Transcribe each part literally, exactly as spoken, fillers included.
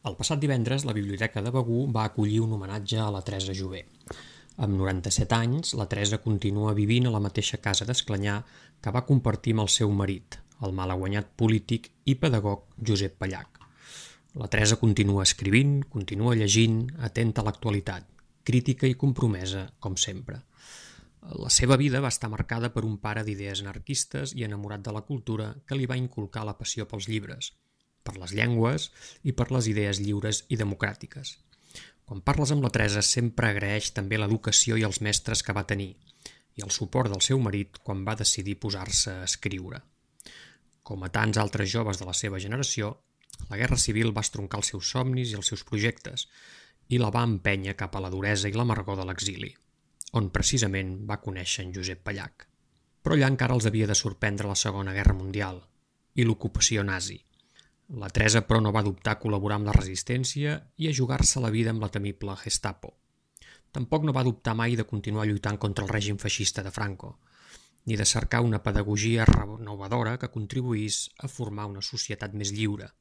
El passat divendres, la Biblioteca de Begur va acollir un homenatge a la Teresa Jové. Amb noranta-set anys, la Teresa continua vivint a la mateixa casa d'Esclanyà que va compartir amb el seu marit, el malaguanyat polític i pedagog Josep Pallach. La Teresa continua escrivint, continua llegint, atenta a l'actualitat, crítica i compromesa, com sempre. La seva vida va estar marcada per un pare d'idees anarquistes i enamorat de la cultura que li va inculcar la passió pels llibres, per les llengües i per les idees lliures i democràtiques. Quan parles amb la Teresa sempre agraeix també l'educació i els mestres que va tenir i el suport del seu marit quan va decidir posar-se a escriure. Com a tants altres joves de la seva generació, la Guerra Civil va estroncar els seus somnis i els seus projectes i la va empènyer cap a la duresa i l'amargor de l'exili, on precisament va conèixer en Josep Pallach. Però allà encara els havia de sorprendre la Segona Guerra Mundial i l'ocupació nazi. La Teresa, però, no va dubtar a col·laborar amb la resistència i a jugar-se la vida amb la temible Gestapo. Tampoc no va dubtar mai de continuar lluitant contra el règim feixista de Franco, ni de cercar una pedagogia renovadora que contribuís a formar una societat més lliure,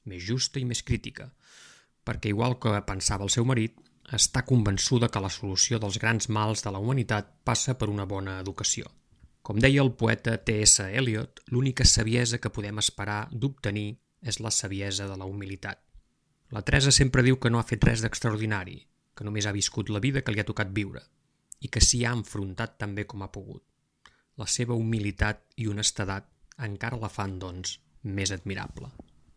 més justa i més crítica, perquè, igual que pensava el seu marit, està convençuda que la solució dels grans mals de la humanitat passa per una bona educació. Com deia el poeta T S Eliot, l'única saviesa que podem esperar d'obtenir és la saviesa de la humilitat. La Teresa sempre diu que no ha fet res d'extraordinari, que només ha viscut la vida que li ha tocat viure, i que s'hi ha enfrontat també com ha pogut. La seva humilitat i honestedat encara la fan, doncs, més admirable.